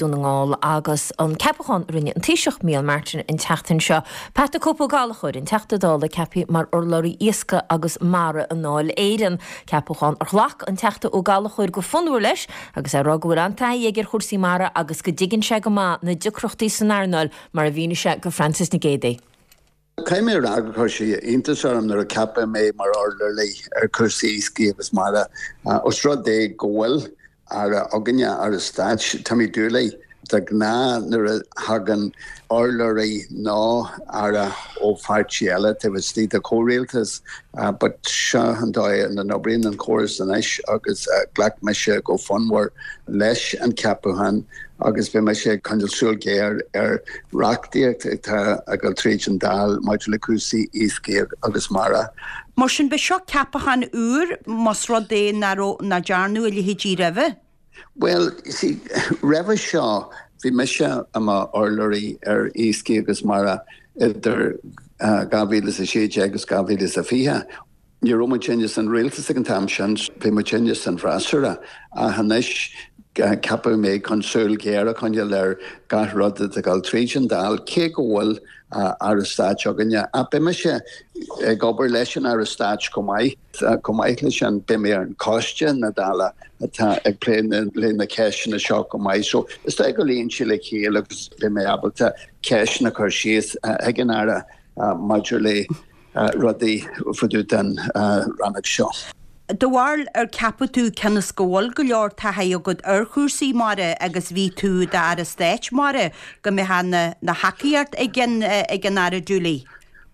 Dún na nGall agus an ceapachán a rinne an Taoiseach Micheál Martin an tseachtain seo. Pat the Cope Ó Gallchóir, an Teachta Dála ceaptha mar urlabhraí Iascaigh agus Mara i nDáil Éireann. Ceapachán ar ghlac an Teachta Ó Gallchóir go fonnmhar leis agus é ag rá go bhfuil an-taithí aige ar chúrsaí mara agus go dtuigeann sé go maith na deacrachtaí san earnáil mar a mhínigh sé go Frances Nic Géadaigh. Caithfidh mé a rá gur chuir sé iontas orm nuair a ceapadh mé mar urlabhraí ar chúrsaí iascaigh agus mara. Os rud é go bhfuil Aire againne, Aire Stáit, Timmy Dooley, de ghnáth nuair a thagann urlabhraí nó Aire ó pháirtí eile taobh istigh de chomhrialtas but seo an dóigh ina n-oibríonn an córas anois agus ghlac mise go fonnmhar leis an cheapachán. agus beidh mise ag coinneáil súil ghéar ar reachtaíocht atá ag dul tríd an Dáil maidir le cúrsaí iascaigh agus mara. Mar sin, b'é seo ceapachán úr, más rud é nach raibh, nach ndearnadh a leithéidí roimhe. Bhuel, you see, roimhe seo, bhí mise i m'urlabhraí ar iascaigh agus mara idir 2016 agus 2020. Ní raibh muidinne san rialtas ag an t-am sin, bhí muidinne san bhfreasúra, ach anois ceapadh mé chun súil ghéar a choinneáil ar gach rud atá ag dul tríd an Dáil, cé go bhfuil Aire Stáit againne. Ach beidh mise ag obair leis an Aire Stáit chomh maith. Chomh maith leis sin, beidh mé ar an choiste na Dála atá ag plé le na ceisteanna seo chomh maith. So is dóigh go luíonn sé le chéile agus beidh mé ábalta ceisteanna a chur síos chuig an Aire maidir le rudaí fá dtaobh den rannóg seo. Do bharúil ar ceapadh tú cionn is go bhfuil go leor taithí agat ar chúrsaí mara agus bhí tú i d'Aire Stáit Mara go mbeadh na thacaíocht ag an ag an Aire Dooley?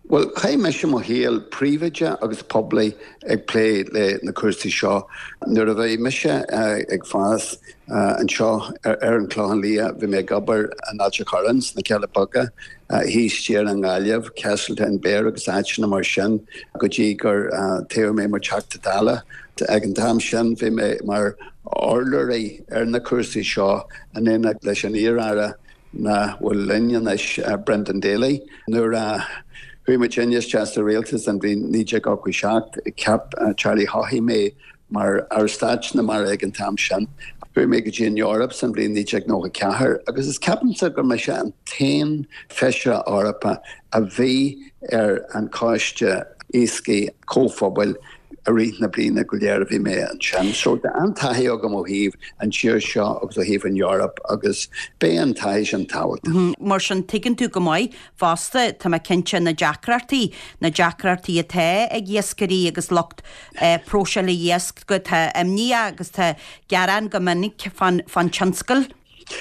Bhuel, chaith mise mo shaol príobháideach agus poiblí ag plé le na cúrsaí seo. Nuair a bhí mise ag fás anseo ar an Chlochán Liath bhí mé ag obair in Ailt an Chorráin sna Cealla Beaga, thíos siar i nGaillimh, Castletownbere agus áiteanna mar sin go dtí gur toghadh mé mar Teachta Dála. Ag an t-am sin bhí mé mar urlabhraí ar na cúrsaí seo in éineacht leis an iar-aire nach bhfuil linn anois, Brendan Daly. Nuair a chuaigh muidinne isteach sa rialtas an bhliain 1987 cheap Charlie Haughey mé Mar Aire Stáit na Mara ag an t-am sin, chuaigh mé go dtí an Eoraip san bhliain 1994 agus is ceapaimse gur mise an t-aon Feisire Eorpach a bhí ar an Choiste Iascaigh Comhphobail i rith na bliana go léir a bhí mé ansin. So tá an-taithí agam ó thaobh an tír seo agus ó thaobh an Eoraip agus beidh an taithí sin tábhachtach. Mar sin tuigeann tú go maith Fosta, tá mé cinnte, na deacrachtaí, na deacrachtaí atá ag iascairí agus lucht próiseála iasc, go, tá imní agus tá gearán go minic fán, fán tionscal.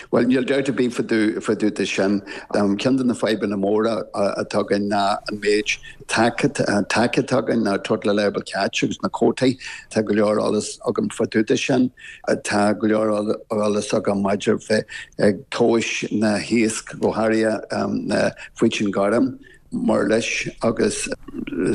Bhuel, níl dabht ar bith fá dtaobh de sin. Ceann de na fadhbanna móra atá againn ná an méid TAC, TAC atá againn, ná Total Allowable Catch agus na cuótaí. Tá go leor eolas agam fá dtaobh de sin. Tá go leor eolas agam maidir bheith ag tomhais na hiasc, go háirithe na faoitin gorm, murlais agus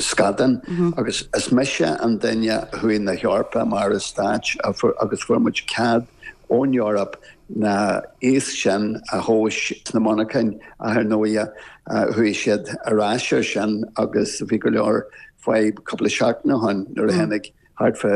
scadán agus is mise an duine a chuaigh na hEorpa mar Aire Stáit agus fuair muid cead ón Eoraip na iasc sin a thomhais sna monarchain ach ar ndóighe chuaigh siad ar ais ar sin agus bhí go leor fadhb cúpla seachtain ó shin nuair a tháinig thart fá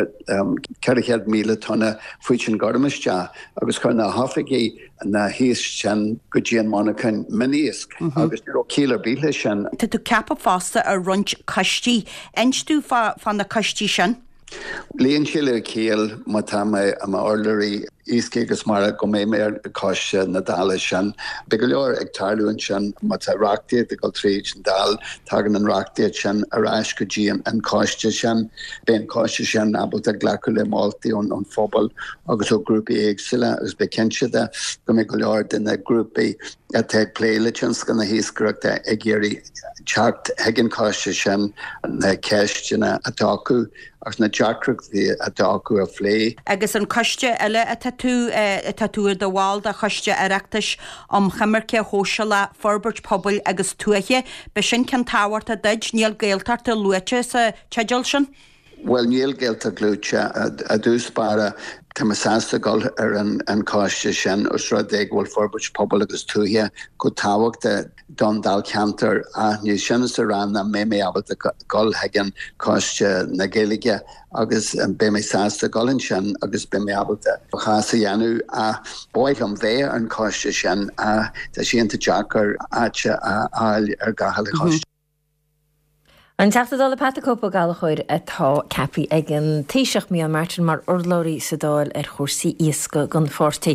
400,000 tonna faoitin gorm isteach agus chuir na hoifigigh na hiasc sin go dtí an monarchain mion-iasc agus ní raibh ciall ar bith leis sin. Tá tú ceaptha fosta ar roinnt coistí. Inis dúinn fá na coistí sin. Luíonn sé le ciall má tá mé i m'urlabhraí iascaigh agus mara go mbeidh mé ar choiste na Dála sin. Beidh go leor ag tarlú ansin. Má tá reachtaíocht ag dul tríd an Dáil, tagann an reachtaíocht sin ar ais go dtí an coiste sin. Beidh an coiste sin ábalta glacadh le moltaí ón phobal agus ó ghrúpaí éagsúla agus beidh cinnte de go mbeidh go leor de na grúpaí atá ag plé le tionscal na hiascaireachta ag iarraidh teacht chuig an choiste sin na ceisteanna atá acu agus na deacrachtaí atá acu a phlé. Agus an coiste eile atá tú, atá tú i do bhall de Choiste Oireachtais um Choimirce Shóisialach, Forbairt Pobail agus Tuaithe, b'shin ceann tábhachtach duit, níl Gaeltacht luaite sa teideal sin? Bhuel, níl Gaeltacht luaite i dtús báire. Tá mé sásta dul ar an choiste sin os rud é go bhfuil forbairt pobail agus tuaithe chomh tábhachtach don Dáilcheantar ach ní sin is a rá nach mbeidh mé ábalta dul chuig an Choiste na Gaeilge agus beidh mé sásta dul ansin agus beidh mé ábalta mo chás a dhéanamh ach ba mhaith liom bheith ar an choiste sin ach tá sé iontach deacair áit a fháil ar gach uile choiste. An Teachta Dála Pat the Cope Ó Gallchóir atá ceaptha ag an Taoiseach Micheál Martin mar urlabhraí sa Dáil ar chúrsaí iascaigh don pháirtí.